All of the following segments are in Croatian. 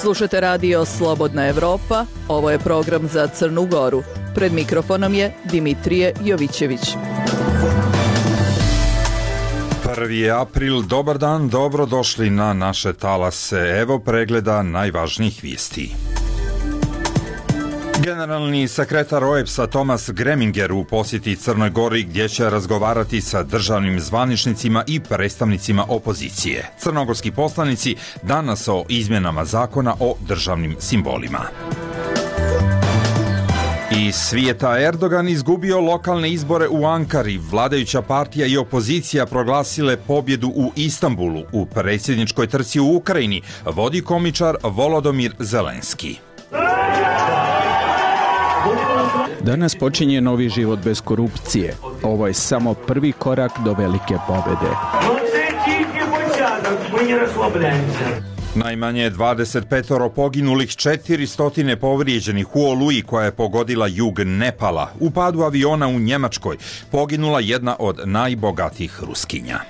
Slušate radio Slobodna Evropa, ovo je program za Crnu Goru. Pred mikrofonom je Dimitrije Jovićević. 1. april, dobar dan, dobrodošli na naše talase. Evo pregleda najvažnijih vijesti. Generalni sekretar OEBS-a Thomas Greminger u posjeti Crnoj Gori gdje će razgovarati sa državnim zvaničnicima i predstavnicima opozicije. Crnogorski poslanici danas o izmjenama zakona o državnim simbolima. Iz svijeta, Erdogan izgubio lokalne izbore u Ankari, vladajuća partija i opozicija proglasile pobjedu u Istanbulu. U predsjedničkoj trci u Ukrajini vodi komičar Volodymyr Zelenski. Danas počinje novi život bez korupcije. Ovo je samo prvi korak do velike pobjede. Najmanje 25 poginulih, 400 povrijeđenih u oluji koja je pogodila jug Nepala. U padu aviona u Njemačkoj poginula jedna od najbogatijih Ruskinja.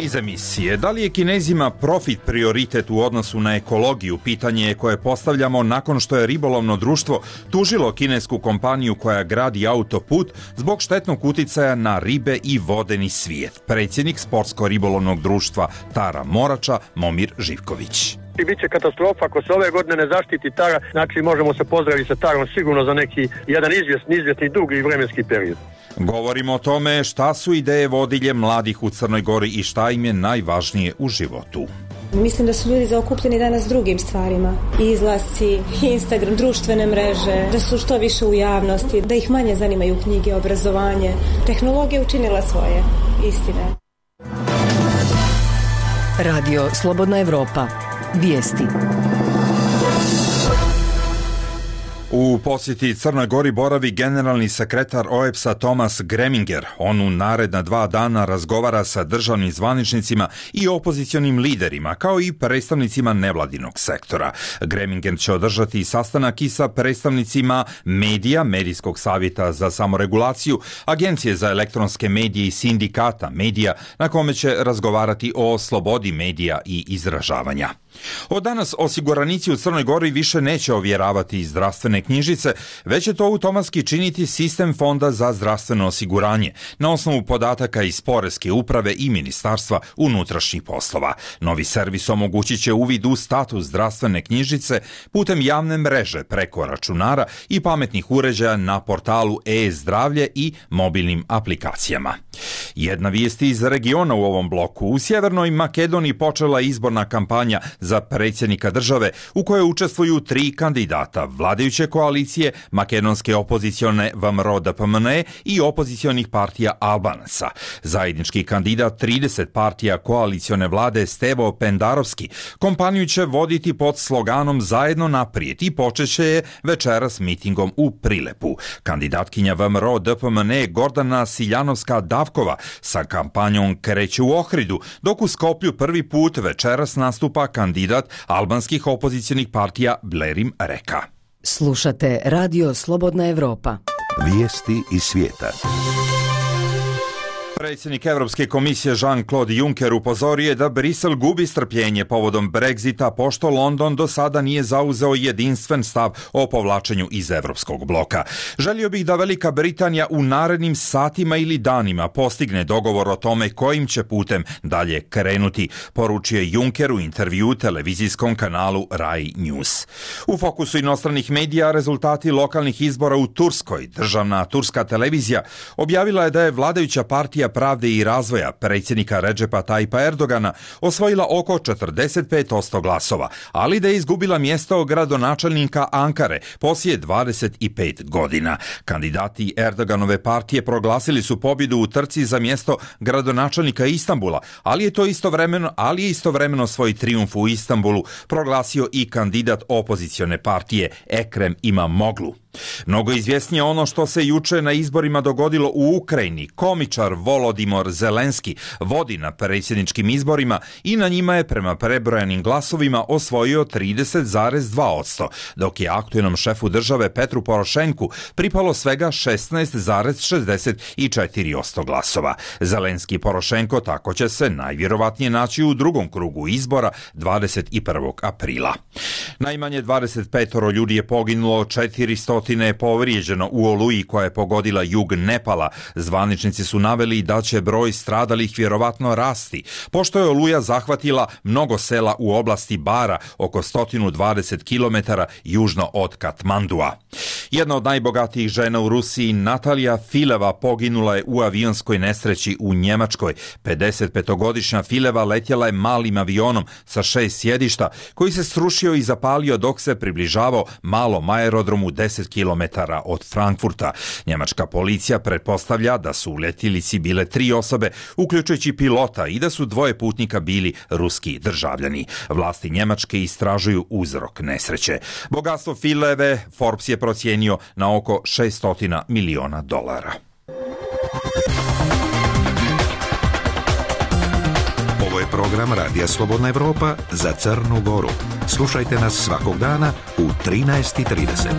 Iz emisije, da li je Kinezima profit prioritet u odnosu na ekologiju? Pitanje je koje postavljamo nakon što je ribolovno društvo tužilo kinesku kompaniju koja gradi autoput zbog štetnog uticaja na ribe i vodeni svijet. Predsjednik Sportsko-ribolovnog društva Tara Morača, Momir Živković. I bit će katastrofa ako se ove godine ne zaštiti Tara, znači možemo se pozdraviti sa Tarom sigurno za neki jedan izvjesni dugi vremenski period. Govorimo o tome šta su ideje vodilje mladih u Crnoj Gori i šta im je najvažnije u životu. Mislim da su ljudi zaokupljeni danas drugim stvarima. Izlasci, Instagram, društvene mreže, da su što više u javnosti, da ih manje zanimaju knjige, obrazovanje. Tehnologija učinila svoje, istine. Radio Slobodna Evropa. Vijesti. U posjeti Crnoj Gori boravi generalni sekretar OEBS-a Thomas Greminger. On u naredna 2 dana razgovara sa državnim zvaničnicima i opozicionim liderima, kao i predstavnicima nevladinog sektora. Greminger će održati sastanak i sa predstavnicima medija, Medijskog savjeta za samoregulaciju, Agencije za elektronske medije i sindikata medija, na kome će razgovarati o slobodi medija i izražavanja. Od danas osiguranici u Crnoj Gori više neće ovjeravati zdravstvene knjižice, već će to automatski činiti sistem Fonda za zdravstveno osiguranje na osnovu podataka iz Poreske uprave i Ministarstva unutrašnjih poslova. Novi servis omogućit će uvid u status zdravstvene knjižice putem javne mreže preko računara i pametnih uređaja na portalu e-zdravlje i mobilnim aplikacijama. Jedna vijest iz regiona u ovom bloku. U Sjevernoj Makedoniji počela izborna kampanja za predsjednika države u kojoj učestvuju 3 kandidata vladajuće koalicije, makedonske opozicione VMRO DPMN i opozicionih partija Albanaca. Zajednički kandidat 30 partija koalicione vlade Stevo Pendarovski kompaniju će voditi pod sloganom Zajedno naprijed i počeće je večeras mitingom u Prilepu. Kandidatkinja VMRO DPMN Gordana Siljanovska-Davkova sa kampanjom kreće u Ohridu, dok u Skoplju prvi put večeras nastupa kandidat albanskih opozicionih partija Blerim Reka. Slušate Radio Slobodna Evropa. Vijesti iz svijeta. Predsjednik Europske komisije Jean-Claude Juncker upozorio je da Brisel gubi strpljenje povodom Brexita, pošto London do sada nije zauzeo jedinstven stav o povlačenju iz europskog bloka. Želio bih da Velika Britanija u narednim satima ili danima postigne dogovor o tome kojim će putem dalje krenuti, poručio je Juncker u intervju televizijskom kanalu Rai News. U fokusu inostranih medija rezultati lokalnih izbora u Turskoj. Državna turska televizija objavila je da je vladajuća partija pravde i razvoja predsjednika Redžepa Tajpa Erdogana osvojila oko 45% glasova, ali da je izgubila mjesto gradonačelnika Ankare poslije 25 godina. Kandidati Erdoganove partije proglasili su pobjedu u trci za mjesto gradonačelnika Istanbula, ali je istovremeno svoj trijumf u Istanbulu proglasio i kandidat opozicione partije Ekrem Imamoglu. Mnogo izvjesnije ono što se juče na izborima dogodilo u Ukrajini. Komičar Volodimir Zelenski vodi na predsjedničkim izborima i na njima je prema prebrojanim glasovima osvojio 30,2%, dok je aktualnom šefu države Petru Porošenku pripalo svega 16,64% glasova. Zelenski i Porošenko tako će se najvjerovatnije naći u drugom krugu izbora 21. aprila. Najmanje 25 ljudi je poginulo, 400 je povrijeđeno u oluji koja je pogodila jug Nepala. Zvaničnici su naveli da će broj stradalih vjerovatno rasti, pošto je oluja zahvatila mnogo sela u oblasti Bara, oko 120 km južno od Katmandua. Jedna od najbogatijih žena u Rusiji, Natalija Fileva, poginula je u avionskoj nesreći u Njemačkoj. 55-godišnja Fileva letjela je malim avionom sa 6 sjedišta koji se srušio i zapalio dok se približavao malom aerodromu 10 km od Frankfurta. Njemačka policija pretpostavlja da su u letjelici bile 3 osobe, uključujući pilota, i da su 2 putnika bili ruski državljani. Vlasti Njemačke istražuju uzrok nesreće. Bogatstvo Fileve Forbes je procijenio na oko $600 miliona. Ovo je program Radija Slobodna Evropa za Crnu Goru. Slušajte nas svakog dana u 13:30.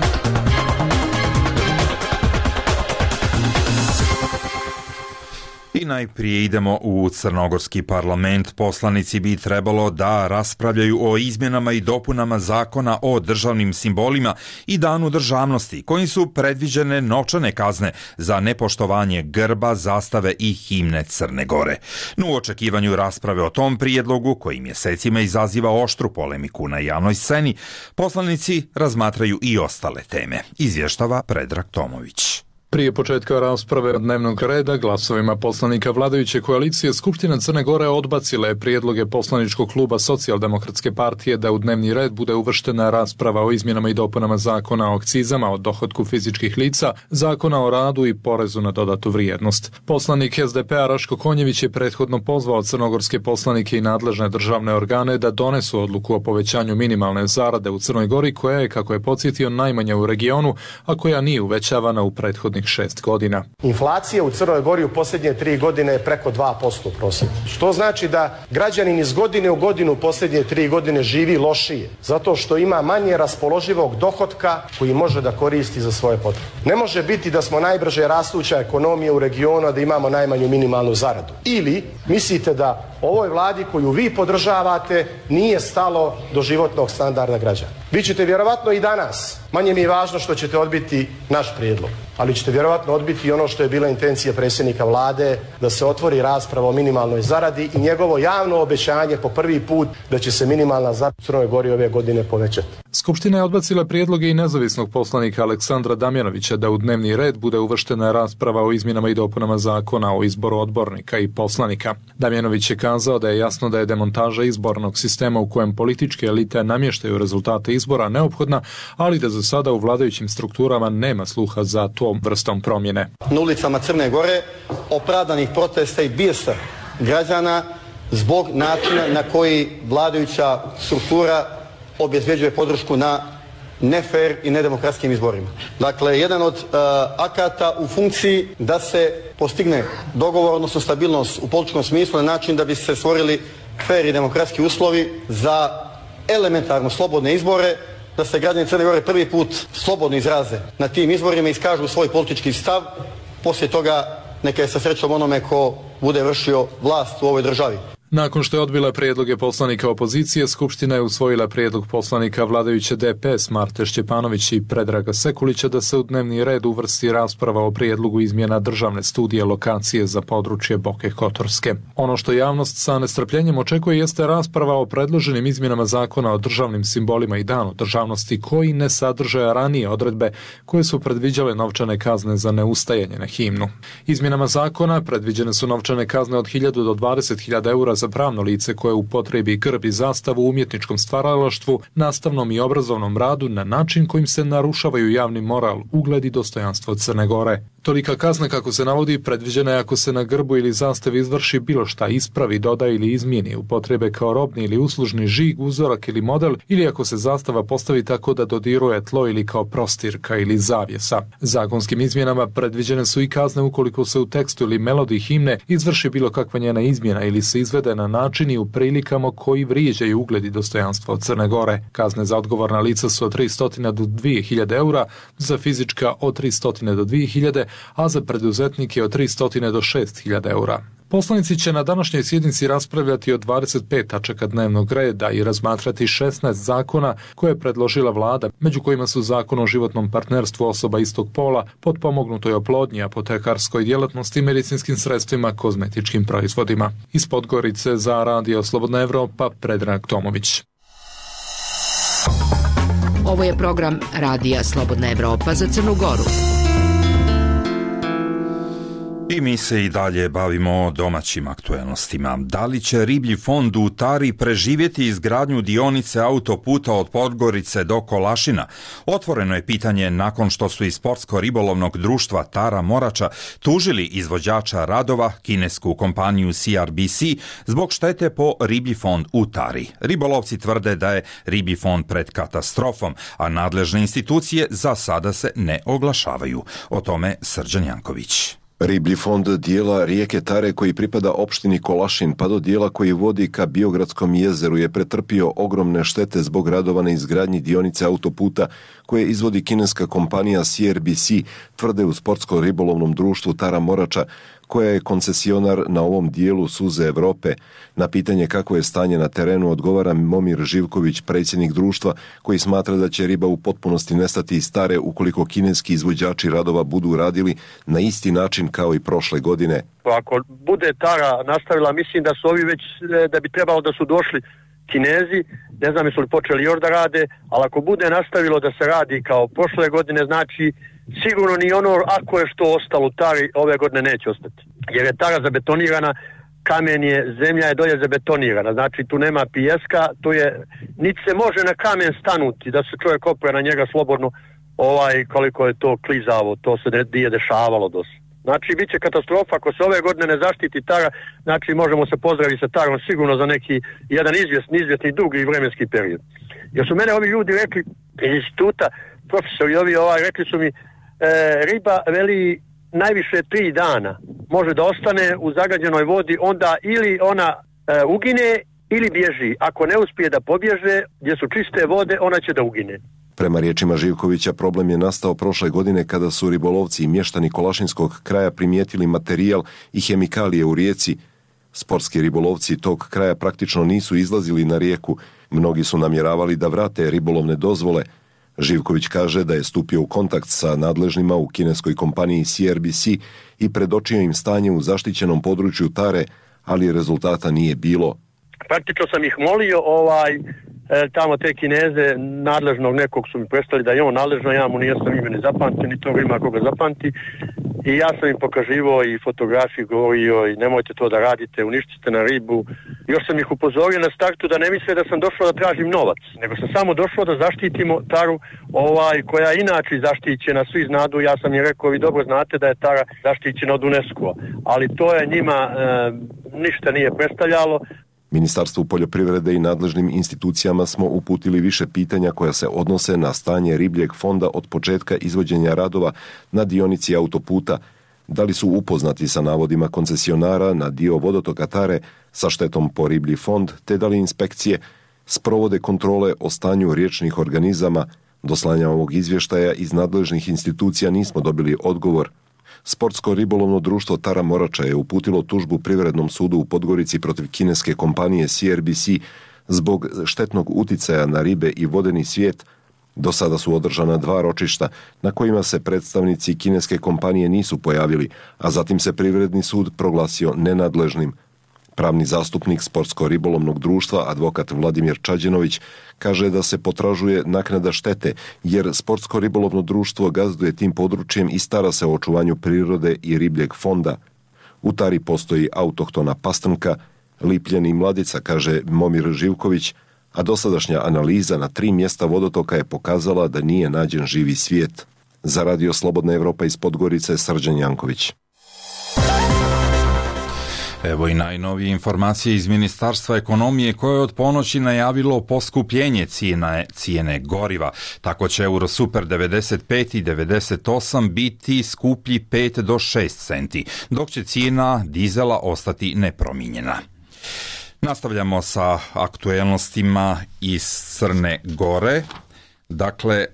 I najprije idemo u crnogorski parlament. Poslanici bi trebalo da raspravljaju o izmjenama i dopunama zakona o državnim simbolima i danu državnosti, kojim su predviđene novčane kazne za nepoštovanje grba, zastave i himne Crne Gore. No, u očekivanju rasprave o tom prijedlogu, koji mjesecima izaziva oštru polemiku na javnoj sceni, poslanici razmatraju i ostale teme. Izvještava Predrag Tomović. Prije početka rasprave dnevnog reda glasovima poslanika vladajuće koalicije Skupština Crne Gore odbacila je prijedloge poslaničkog kluba Socijaldemokratske partije da u dnevni red bude uvrštena rasprava o izmjenama i dopunama zakona o akcizama, o dohotku fizičkih lica, zakona o radu i porezu na dodatu vrijednost. Poslanik SDP-a Raško Konjević je prethodno pozvao crnogorske poslanike i nadležne državne organe da donesu odluku o povećanju minimalne zarade u Crnoj Gori, koja je, kako je podsjetio, najmanja u regionu, a koja nije uvećavana u prethodnih 6 godina. Inflacija u Crnoj Gori u posljednje 3 godine je preko 2% prosjeka. Što znači da građanin iz godine u godinu posljednje 3 godine živi lošije, zato što ima manje raspoloživog dohotka koji može da koristi za svoje potrebe. Ne može biti da smo najbrže rastuća ekonomija u regionu, a da imamo najmanju minimalnu zaradu. Ili mislite da ovoj vladi koju vi podržavate nije stalo do životnog standarda građana. Vi ćete vjerovatno i danas, manje mi je važno što ćete odbiti naš prijedlog, ali ćete vjerovatno odbiti i ono što je bila intencija predsjednika vlade, da se otvori rasprava o minimalnoj zaradi i njegovo javno obećanje po prvi put da će se minimalna zarada u Crnoj Gori ove godine povećati. Skupština je odbacila prijedloge i nezavisnog poslanika Aleksandra Damjanovića da u dnevni red bude uvrštena rasprava o izmjenama i dopunama zakona o izboru odbornika i poslanika. Damjanović je kazao da je jasno da je demontaža izbornog sistema u kojem političke elite namještaju rezultate izbora neophodna, ali da za sada u vladajućim strukturama nema sluha za tom vrstom promjene. Na ulicama Crne Gore opravdanih protesta i bijesa građana zbog načina na koji vladajuća struktura obezvjeđuje podršku na nefer i nedemokratskim izborima. Dakle, jedan od akata u funkciji da se postigne dogovor, odnosno stabilnost u političkom smislu na način da bi se stvorili fer i demokratski uslovi za elementarno slobodne izbore, da se građani Crne Gore prvi put slobodno izraze na tim izborima i iskažu svoj politički stav. Poslije toga neka je sa srećom onome ko bude vršio vlast u ovoj državi. Nakon što je odbila prijedloge poslanika opozicije, Skupština je usvojila prijedlog poslanika vladajuće DPS Marte Šćepanović i Predraga Sekulića da se u dnevni red uvrsti rasprava o prijedlogu izmjena državne studije lokacije za područje Boke Kotorske. Ono što javnost sa nestrpljenjem očekuje jeste rasprava o predloženim izmjenama zakona o državnim simbolima i danu državnosti, koji ne sadrže ranije odredbe koje su predviđale novčane kazne za neustajanje na himnu. Izmjenama zakona predviđene su novčane kazne od 1.000 do 20.000 eura za pravno lice koje upotrebi grb i zastavu u umjetničkom stvaralaštvu, nastavnom i obrazovnom radu na način kojim se narušavaju javni moral, ugled i dostojanstvo Crne Gore. Tolika kazna, kako se navodi, predviđena je ako se na grbu ili zastavi izvrši bilo šta ispravi, doda ili izmijeni, upotrebe kao robni ili uslužni žig, uzorak ili model, ili ako se zastava postavi tako da dodiruje tlo ili kao prostirka ili zavjesa. Zakonskim izmjenama predviđene su i kazne ukoliko se u tekstu ili melodiji himne izvrši bilo kakva njena izmjena ili se izvede na način i u prilikama koji vrijeđaju ugled i dostojanstvo Crne Gore. Kazne za odgovorna lica su od 300 do 2000 eura, za fizička od 300 do 2000, a za preduzetnike od 300 do 6000 eura. Poslanici će na današnjoj sjednici raspravljati o 25 tačaka dnevnog reda i razmatrati 16 zakona koje je predložila vlada, među kojima su zakon o životnom partnerstvu osoba istog pola, potpomognutoj oplodnji, apotekarskoj djelatnosti, medicinskim sredstvima, kozmetičkim proizvodima. Iz Podgorice za Radio Slobodna Evropa, Predrag Tomović. Ovo je program Radija Slobodna Evropa za Crnu Goru. I mi se i dalje bavimo domaćim aktuelnostima. Da li će riblji fond u Tari preživjeti izgradnju dionice autoputa od Podgorice do Kolašina? Otvoreno je pitanje nakon što su iz sportsko-ribolovnog društva Tara Morača tužili izvođača radova, kinesku kompaniju CRBC, zbog štete po riblji fond u Tari. Ribolovci tvrde da je riblji fond pred katastrofom, a nadležne institucije za sada se ne oglašavaju. O tome Srđan Janković. Riblji fond dijela rijeke Tare koji pripada opštini Kolašin pa do dijela koji vodi ka Biogradskom jezeru je pretrpio ogromne štete zbog radova na izgradnji dionice autoputa koje izvodi kineska kompanija CRBC, tvrde u sportsko-ribolovnom društvu Tara Morača, koja je koncesionar na ovom dijelu suze Evrope. Na pitanje kako je stanje na terenu odgovara Momir Živković, predsjednik društva, koji smatra da će riba u potpunosti nestati iz Tare ukoliko kineski izvođači radova budu radili na isti način kao i prošle godine. Ako bude Tara nastavila, mislim da su ovi već, da bi trebalo da su došli Kinezi, ne znam jesu li počeli još da rade, ali ako bude nastavilo da se radi kao prošle godine, znači sigurno ni ono ako je što ostalo u Tari ove godine neće ostati. Jer je Tara zabetonirana, kamen je, zemlja je dolje zabetonirana, znači tu nema pijeska, tu je, niti se može na kamen stanuti, da se čovjek opre na njega slobodno, koliko je to klizavo, to se nije dešavalo dosta. Znači, bit će katastrofa ako se ove godine ne zaštiti Tara, znači možemo se pozdraviti sa Tarom sigurno za neki jedan izvjesni dugi vremenski period. Jer su mene ovi ljudi rekli iz instituta, profesori ovi rekli su mi, riba veli najviše 3 dana može da ostane u zagađenoj vodi, onda ili ona ugine ili bježi. Ako ne uspije da pobježe, gdje su čiste vode, ona će da ugine. Prema riječima Živkovića, problem je nastao prošle godine kada su ribolovci i mještani Kolašinskog kraja primijetili materijal i hemikalije u rijeci. Sportski ribolovci tog kraja praktično nisu izlazili na rijeku. Mnogi su namjeravali da vrate ribolovne dozvole. Živković kaže da je stupio u kontakt sa nadležnima u kineskoj kompaniji CRBC i predočio im stanje u zaštićenom području Tare, ali rezultata nije bilo. Praktično sam ih molio tamo te Kineze, nadležnog nekog su mi predstavili da je on nadležno, ja mu nijesam ime ni zapamtio, ni toga ima koga zapamti. I ja sam im pokaživao i fotografiju, govorio i nemojte to da radite, uništite na ribu. Još sam ih upozorio na startu da ne misle da sam došao da tražim novac, nego sam samo došao da zaštitimo Taru, koja je inače zaštićena, svi znadu, ja sam im rekao, vi dobro znate da je Tara zaštićena od UNESCO-a, ali to je njima ništa nije predstavljalo. Ministarstvu poljoprivrede i nadležnim institucijama smo uputili više pitanja koja se odnose na stanje ribljeg fonda od početka izvođenja radova na dionici autoputa. Da li su upoznati sa navodima koncesionara na dio vodotoka Tare sa štetom po riblji fond, te da li inspekcije sprovode kontrole o stanju riječnih organizama. Do slanja ovog izvještaja iz nadležnih institucija nismo dobili odgovor. Sportsko-ribolovno društvo Tara Morača je uputilo tužbu Privrednom sudu u Podgorici protiv kineske kompanije CRBC zbog štetnog uticaja na ribe i vodeni svijet. Do sada su održana 2 ročišta na kojima se predstavnici kineske kompanije nisu pojavili, a zatim se Privredni sud proglasio nenadležnim. Pravni zastupnik Sportsko-ribolovnog društva, advokat Vladimir Čađenović, kaže da se potražuje naknada štete, jer Sportsko-ribolovno društvo gazduje tim područjem i stara se o očuvanju prirode i ribljeg fonda. U Tari postoji autohtona pastrnka, Lipljen i Mladica, kaže Momir Živković, a dosadašnja analiza na 3 mjesta vodotoka je pokazala da nije nađen živi svijet. Za Radio Slobodna Evropa iz Podgorice, Srđan Janković. Evo i najnovije informacije iz Ministarstva ekonomije koje je od ponoći najavilo poskupljenje cijene goriva. Tako će Eurosuper 95 i 98 biti skuplji 5 do 6 centi, dok će cijena dizela ostati nepromijenjena. Nastavljamo sa aktuelnostima iz Crne Gore. Dakle,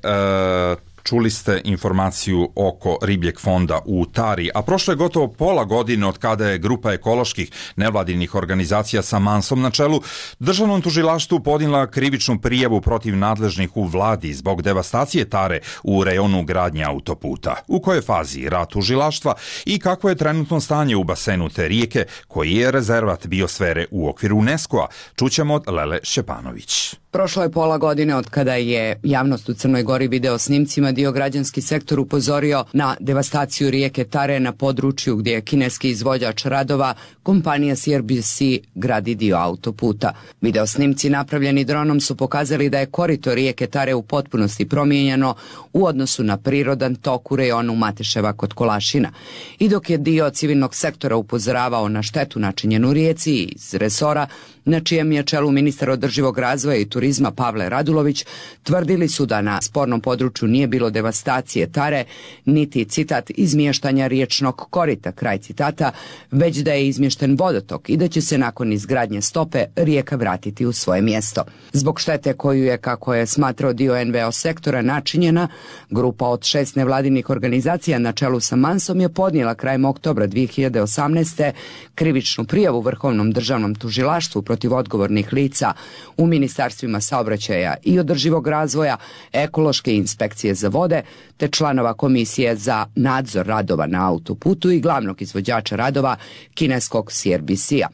čuli ste informaciju oko ribljeg fonda u Tari, a prošlo je gotovo pola godine od kada je grupa ekoloških nevladinih organizacija sa Mansom na čelu državnom tužilaštvu podnijela krivičnu prijavu protiv nadležnih u vladi zbog devastacije Tare u rejonu gradnje autoputa. U kojoj fazi rad tužilaštva i kako je trenutno stanje u basenu te rijeke, koji je rezervat biosfere u okviru UNESCO-a, čućemo od Lele Šćepanović. Prošlo je pola godine od kada je javnost u Crnoj Gori video snimcima dio građanski sektor upozorio na devastaciju rijeke Tare na području gdje je kineski izvođač radova, kompanija CRBC, gradi dio autoputa. Video snimci napravljeni dronom su pokazali da je korito rijeke Tare u potpunosti promijenjeno u odnosu na prirodan tok u rejonu Mateševa kod Kolašina. I dok je dio civilnog sektora upozoravao na štetu načinjenu rijeci iz resora, na čijem je čelu ministar održivog razvoja i turizma Pavle Radulović, tvrdili su da na spornom području nije bilo devastacije Tare, niti, citat, izmještanja riječnog korita, kraj citata, već da je izmješten vodotok i da će se nakon izgradnje stope rijeka vratiti u svoje mjesto. Zbog štete koju je, kako je smatrao dio NVO sektora, načinjena, grupa od 6 nevladinih organizacija na čelu sa Mansom je podnijela krajem oktobra 2018. krivičnu prijavu Vrhovnom državnom tužilaštvu protiv odgovornih lica u ministarstvima saobraćaja i održivog razvoja, ekološke inspekcije za vode, te članova komisije za nadzor radova na autoputu i glavnog izvođača radova kineskog CRBC-a.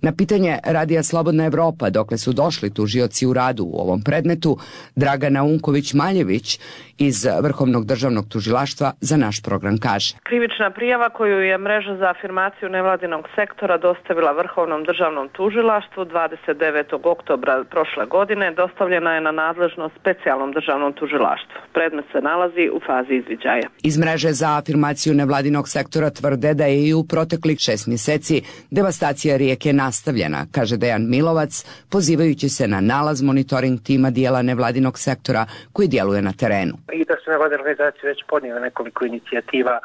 Na pitanje Radija Slobodna Evropa dokle su došli tužioci u radu u ovom predmetu, Dragana Unković-Maljević iz Vrhovnog državnog tužilaštva za naš program kaže: Krivična prijava koju je mreža za afirmaciju nevladinog sektora dostavila Vrhovnom državnom tužilaštvu 29. oktobra prošle godine dostavljena je na nadležnost specijalnom državnom tužilaštvu. Predmet se nalazi u fazi izviđaja. Iz mreže za afirmaciju nevladinog sektora tvrde da je i u proteklih 6 mjeseci devastacija rijeke nastavljena, kaže Dejan Milovac, pozivajući se na nalaz monitoring tima dijela nevladinog sektora koji djeluje na terenu. I da su nevladine organizacije već podnijele nekoliko inicijativa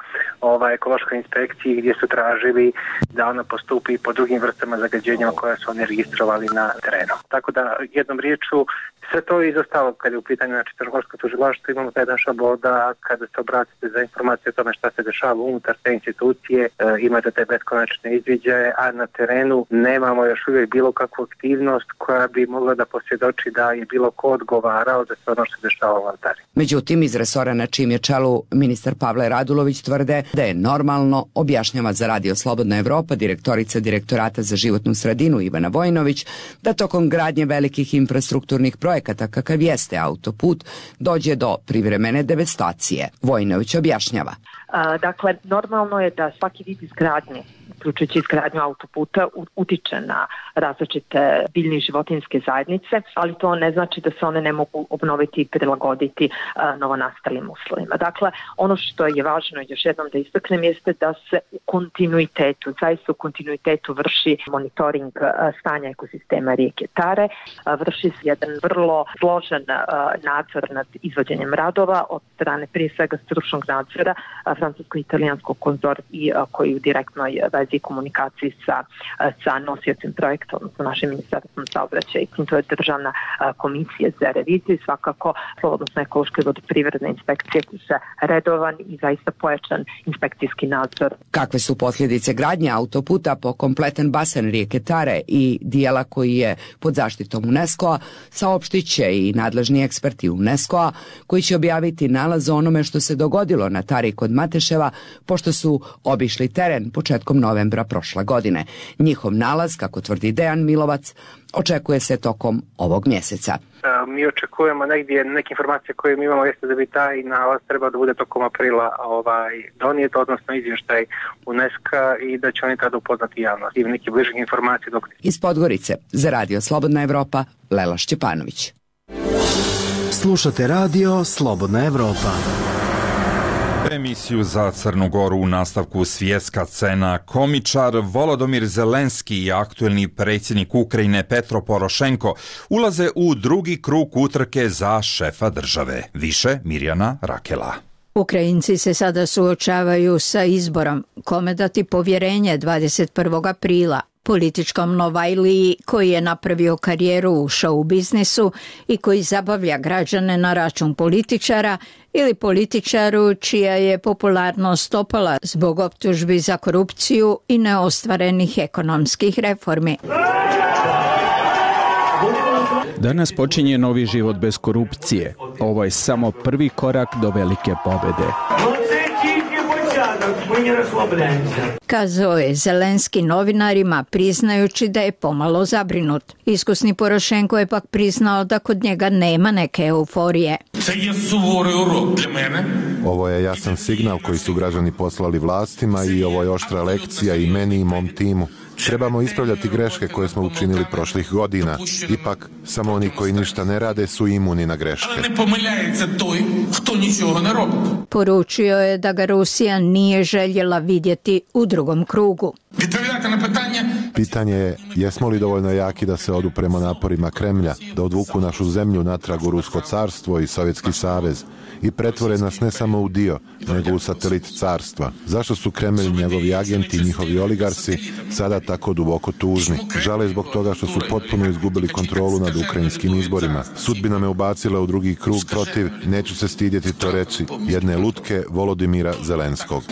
ekološkoj inspekciji gdje su tražili da ona postupi po drugim vrstama zagađenja koje su oni registrovali na terenu. Tako da jednom riječu sve to je izostalo kad je u pitanju Crnogorsko tužilaštvo. Imamo taj naš šablon da kada se obratite za informacije o tome šta se dešava unutar te institucije, imate te beskonačne izviđaje, a na terenu nemamo još uvijek bilo kakvu aktivnost koja bi mogla da posvjedoči da je bilo ko odgovarao za sve ono što se dešava u Tari. Međutim, iz resora na čim je čelu ministar Pavle Radulović tvrde da je normalno, objašnjava za Radio Slobodna Evropa direktorica Direktorata za životnu sredinu Ivana Vojinović, da tokom gradnje velikih infrastrukturnih projekata kakav jeste autoput dođe do privremene devastacije. Vojinović objašnjava. Dakle, normalno je da svaki vid izgradnje, uključujući izgradnju autoputa, utiče na različite biljne i životinjske zajednice, ali to ne znači da se one ne mogu obnoviti i prilagoditi novonastalim uslovima. Dakle, ono što je važno još jednom da istaknem jeste da se u kontinuitetu, zaista u kontinuitetu vrši monitoring stanja ekosistema rijeke Tare, vrši se jedan vrlo složen nadzor nad izvođenjem radova od strane prije svega stručnog nadzora francusko-italijanskog konzorcija koji u direktnoj vezi komunikaciji sa nosiocem projekta, odnosno našim ministarstvom saobraćaja, i to je Državna komisija za reviziju, svakako odnosno ekološke vodoprivredne inspekcije koji se redovan i zaista pojačan inspekcijski nadzor. Kakve su posljedice gradnje autoputa po kompletan basen rijeke Tare i dijela koji je pod zaštitom UNESCO-a, saopštit će i nadležni eksperti UNESCO-a koji će objaviti nalaz o onome što se dogodilo na Tari kod Mateševa, pošto su obišli teren početkom nove novembra prošle godine. Njihov nalaz, kako tvrdi Dejan Milovac, očekuje se tokom ovog mjeseca. Mi očekujemo negdje neke informacije koje mi imamo jeste da bi taj nalaz trebao da bude tokom aprila donijet, odnosno izvještaj UNESCO i da će oni tada upoznati javnost i neki bližih informacija. Iz Podgorice za Radio Slobodna Evropa, Lela Šćepanović. Slušate Radio Slobodna Evropa. Emisiju za Crnu Goru u nastavku svjetska scena. Komičar Volodymyr Zelenski i aktuelni predsjednik Ukrajine Petro Porošenko ulaze u drugi krug utrke za šefa države. Više Mirjana Rakela. Ukrajinci se sada suočavaju sa izborom kome dati povjerenje 21. aprila. Političkom Novajliji koji je napravio karijeru u show biznisu i koji zabavlja građane na račun političara ili političaru čija je popularnost opala zbog optužbi za korupciju i neostvarenih ekonomskih reformi. Danas počinje novi život bez korupcije. Ovo je samo prvi korak do velike pobjede. Kazao je Zelenski novinarima priznajući da je pomalo zabrinut. Iskusni Porošenko je pak priznao da kod njega nema neke euforije. Ovo je jasan signal koji su građani poslali vlastima i ovo je oštra lekcija i meni i mom timu. Trebamo ispravljati greške koje smo učinili prošlih godina. Ipak, samo oni koji ništa ne rade su imuni na greške. Poručio je da ga Rusija nije željela vidjeti u drugom krugu. Pitanje je, jesmo li dovoljno jaki da se odupremo naporima Kremlja, da odvuku našu zemlju natrag u Rusko carstvo i Sovjetski savez i pretvore nas ne samo u dio, nego u satelit carstva. Zašto su Kremlj, njegovi agenti i njihovi oligarsi sada tako duboko tužni? Žale zbog toga što su potpuno izgubili kontrolu nad ukrajinskim izborima. Sudbina me ubacila u drugi krug protiv, neću se stidjeti to reći, jedne lutke Volodymyra Zelenskog.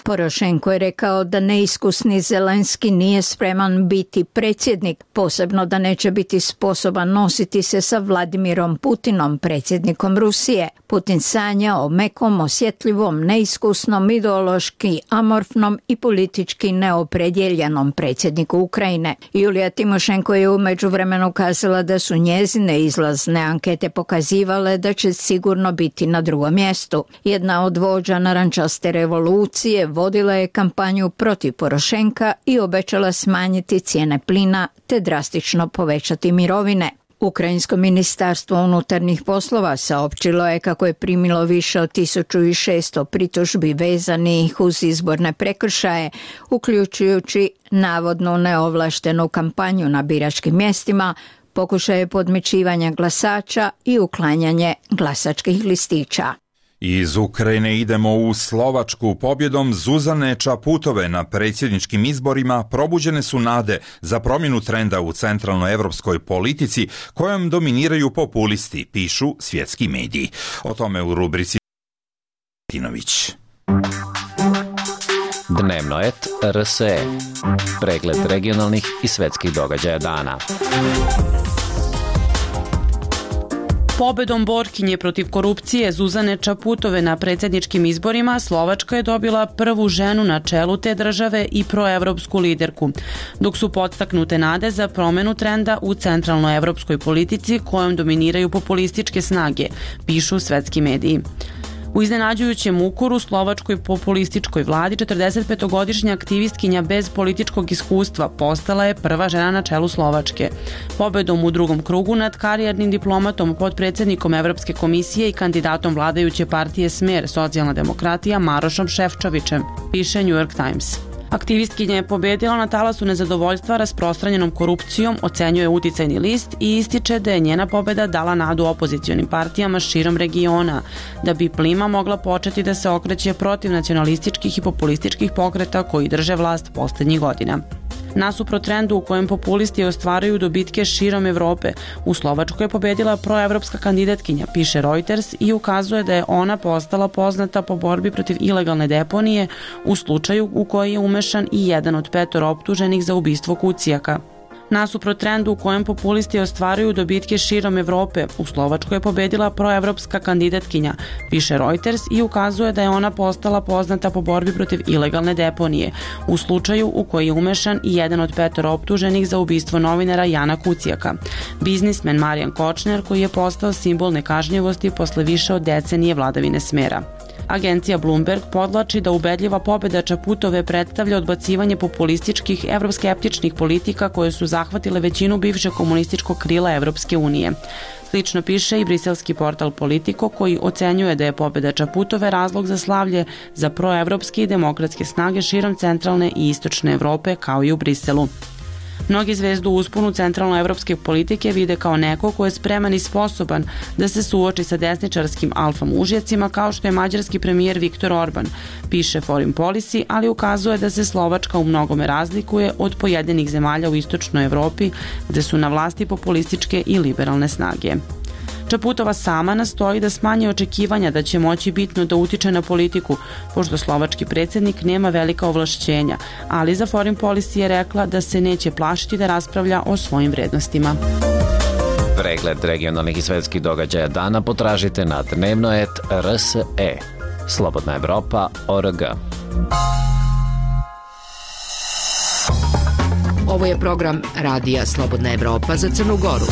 Porošenko je rekao da neiskusni Zelenski nije spreman biti predsjednik, posebno da neće biti sposoban nositi se sa Vladimirom Putinom, predsjednikom Rusije. Putin sanja o mekom, osjetljivom, neiskusnom, ideološki amorfnom i politički neopredjeljenom predsjedniku Ukrajine. Julija Timošenko je u međuvremenu kazala da su njezine izlazne ankete pokazivale da će sigurno biti na drugom mjestu. Jedna od vođa narančaste revolucije vodila je kampanju protiv Porošenka i obećala smanjiti cijene plina te drastično povećati mirovine. Ukrajinsko ministarstvo unutarnjih poslova saopćilo je kako je primilo više od 1600 pritužbi vezanih uz izborne prekršaje, uključujući navodnu neovlaštenu kampanju na biračkim mjestima, pokušaje podmićivanja glasača i uklanjanje glasačkih listića. Iz Ukrajine idemo u Slovačku. Pobjedom Zuzane Čaputove na predsjedničkim izborima probuđene su nade za promjenu trenda u centralnoevropskoj politici kojom dominiraju populisti, pišu svjetski mediji. O tome u rubrici Tinović. Dnevno et RSE. Pregled regionalnih i svjetskih događaja dana. Pobedom borkinje protiv korupcije Zuzane Čaputove na predsjedničkim izborima Slovačka je dobila prvu ženu na čelu te države i proevropsku liderku, dok su podstaknute nade za promjenu trenda u centralnoevropskoj politici kojom dominiraju populističke snage, pišu svetski mediji. U iznenađujućem ukoru slovačkoj populističkoj vladi 45-godišnja aktivistkinja bez političkog iskustva postala je prva žena na čelu Slovačke. Pobedom u drugom krugu nad karijernim diplomatom, potpredsjednikom Evropske komisije i kandidatom vladajuće partije Smer, socijalna demokratija Marošom Šefčovićem, piše New York Times. Aktivistkinja je pobjedila na talasu nezadovoljstva rasprostranjenom korupcijom, ocenjuje uticajni list i ističe da je njena pobjeda dala nadu opozicionim partijama širom regiona, da bi plima mogla početi da se okreće protiv nacionalističkih i populističkih pokreta koji drže vlast posljednjih godina. Nasuprot trendu u kojem populisti ostvaruju dobitke širom Evrope, u Slovačkoj je pobjedila proevropska kandidatkinja, piše Reuters, i ukazuje da je ona postala poznata po borbi protiv ilegalne deponije u slučaju u koji je umešan i jedan od 5 optuženih za ubistvo Kucijaka. Nasuprot trendu u kojem populisti ostvaruju dobitke širom Evrope, u Slovačkoj je pobedila proevropska kandidatkinja, piše Reuters i ukazuje da je ona postala poznata po borbi protiv ilegalne deponije, u slučaju u koji je umešan i jedan od 5 optuženih za ubistvo novinara Jana Kucijaka, biznismen Marijan Kočner koji je postao simbol nekažnjivosti posle više od decenije vladavine smera. Agencija Bloomberg podvlači da ubedljiva pobeda Čaputove predstavlja odbacivanje populističkih evroskeptičnih politika koje su zahvatile većinu bivšeg komunističkog krila Evropske unije. Slično piše i briselski portal Politico koji ocenjuje da je pobeda Čaputove razlog za slavlje za proevropske i demokratske snage širom centralne i istočne Evrope kao i u Briselu. Mnogi zvezdu u usponu centralnoevropske politike vide kao neko ko je spreman i sposoban da se suoči sa desničarskim alfa mužjacima kao što je mađarski premijer Viktor Orban, piše Foreign Policy, ali ukazuje da se Slovačka u mnogome razlikuje od pojedinih zemalja u istočnoj Evropi gde su na vlasti populističke i liberalne snage. Čaputova sama nastoji da smanji očekivanja da će moći bitno da utiče na politiku, pošto slovački predsjednik nema velika ovlašćenja, ali za Foreign Policy je rekla da se neće plašiti da raspravlja o svojim vrednostima. Pregled regionalnih i svetskih događaja dana potražite na dnevnoet.rse. Slobodna Evropa.org. Ovo je program Radija Slobodna Evropa za Crnu Goru.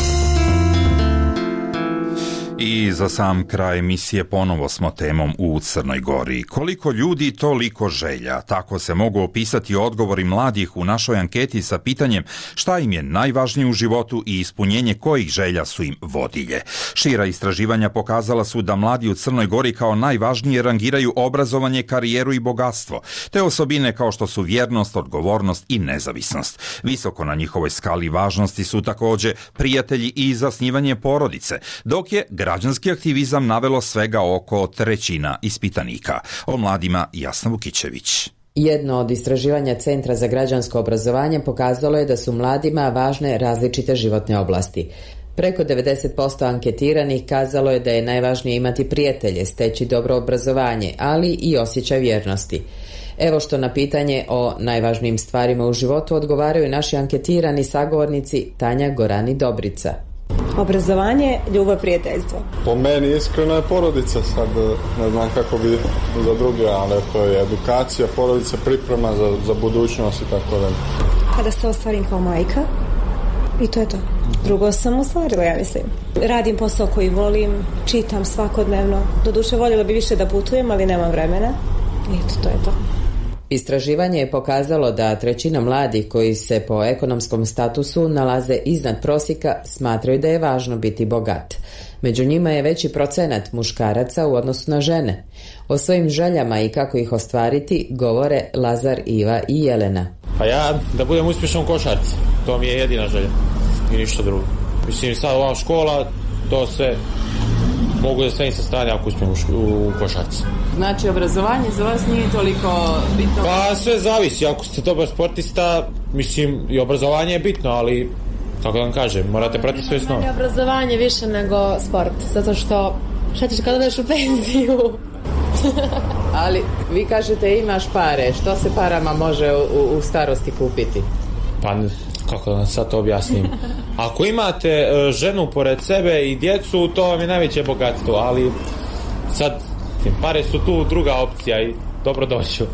I za sam kraj emisije ponovo smo temom u Crnoj Gori. Koliko ljudi, toliko želja. Tako se mogu opisati odgovori mladih u našoj anketi sa pitanjem šta im je najvažnije u životu i ispunjenje kojih želja su im vodilje. Šira istraživanja pokazala su da mladi u Crnoj Gori kao najvažnije rangiraju obrazovanje, karijeru i bogatstvo, te osobine kao što su vjernost, odgovornost i nezavisnost. Visoko na njihovoj skali važnosti su također prijatelji i zasnivanje porodice, dok je građanski aktivizam navelo svega oko 1/3 ispitanika. O mladima Jasna Vukićević. Jedno od istraživanja Centra za građansko obrazovanje pokazalo je da su mladima važne različite životne oblasti. Preko 90% anketiranih kazalo je da je najvažnije imati prijatelje, steći dobro obrazovanje, ali i osjećaj vjernosti. Evo što na pitanje o najvažnijim stvarima u životu odgovaraju naši anketirani sagovornici Tanja Gorani Dobrica. Obrazovanje, ljubav, prijateljstvo. Po meni iskreno je porodica, sad ne znam kako bi za druge, ali to je edukacija, porodica, priprema za budućnost i tako da. Kada se ostvarim kao majka, i to je to. Drugo sam ostvarila, ja mislim. Radim posao koji volim, čitam svakodnevno. Doduše voljela bi više da putujem, ali nemam vremena. I eto, to je to. Istraživanje je pokazalo da 1/3 mladih koji se po ekonomskom statusu nalaze iznad prosjeka smatraju da je važno biti bogat. Među njima je veći procenat muškaraca u odnosu na žene. O svojim željama i kako ih ostvariti govore Lazar, Iva i Jelena. Pa ja da budem uspješan u košarci, to mi je jedina želja i ništa drugo. Mislim sad ova škola, to sve mogu da stavim sa strane ako uspijem u košarci. Znači obrazovanje za vas nije toliko bitno? Pa sve zavisi, ako ste dobar sportista, mislim i obrazovanje je bitno, ali kako vam kažem, morate pratiti svoje snove. Obrazovanje više nego sport, zato što šta ćeš kada odeš u penziju? Ali vi kažete imaš pare, što se parama može u starosti kupiti? Pa kako da vam sad to objasnim? Ako imate ženu pored sebe i djecu, to vam je najveće bogatstvo, ali sad pare su tu druga opcija i dobro doću.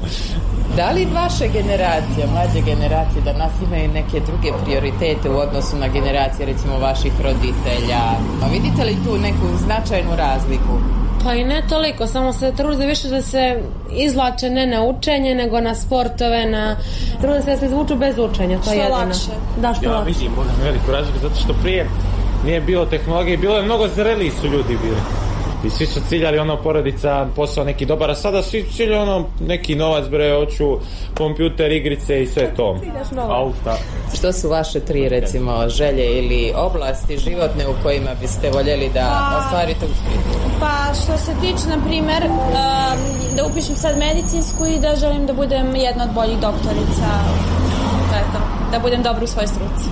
Da li vaše generacije, mlađe generacije danas imaju neke druge prioritete u odnosu na generacije recimo vaših roditelja? A vidite li tu neku značajnu razliku? Pa i ne toliko, samo se trude više da se izvlače ne na učenje, nego na sportove, trude se da se izvuču bez učenja, to je jedino. Lakše. Da, što lakše. Ja vidim veliku razliku, zato što prije nije bilo tehnologije, bilo je mnogo zreliji su ljudi bili. I svi su ciljali porodica, posao neki dobar, a sada svi ciljali neki novac, hoću kompjuter, igrice i sve to. Auta. Što su vaše 3 recimo želje ili oblasti životne u kojima biste voljeli da ostvarite uspjeh? Pa što se tiče, na primjer, da upišem sad medicinsku i da želim da budem jedna od boljih doktorica. To je to. Da budem dobro u svojoj struci.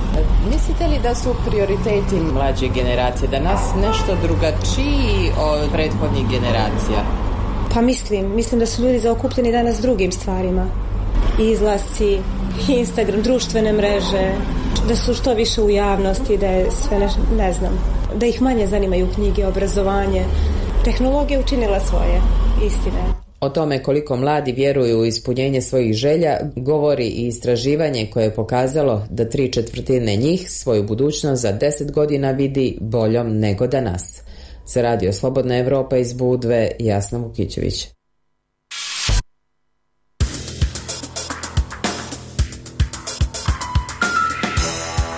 Mislite li da su prioriteti mlađe generacije danas nešto drugačiji od prethodnih generacija? Pa mislim da su ljudi zaokupljeni danas drugim stvarima. Izlasci, Instagram, društvene mreže, da su što više u javnosti, da je sve ne znam, da ih manje zanimaju knjige, obrazovanje. Tehnologija je učinila svoje, istine. O tome koliko mladi vjeruju u ispunjenje svojih želja govori i istraživanje koje je pokazalo da 3/4 njih svoju budućnost za 10 godina vidi boljom nego danas. Za Radio Slobodna Evropa iz Budve, Jasna Vukićević.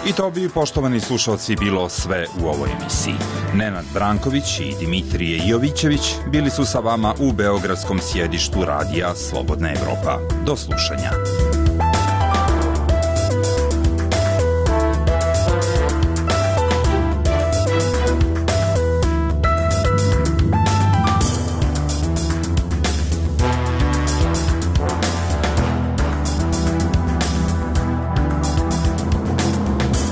I to bi, poštovani slušalci, bilo sve u ovoj emisiji. Nenad Branković i Dimitrije Jovićević bili su sa vama u beogradskom sjedištu Radija Slobodna Evropa. Do slušanja.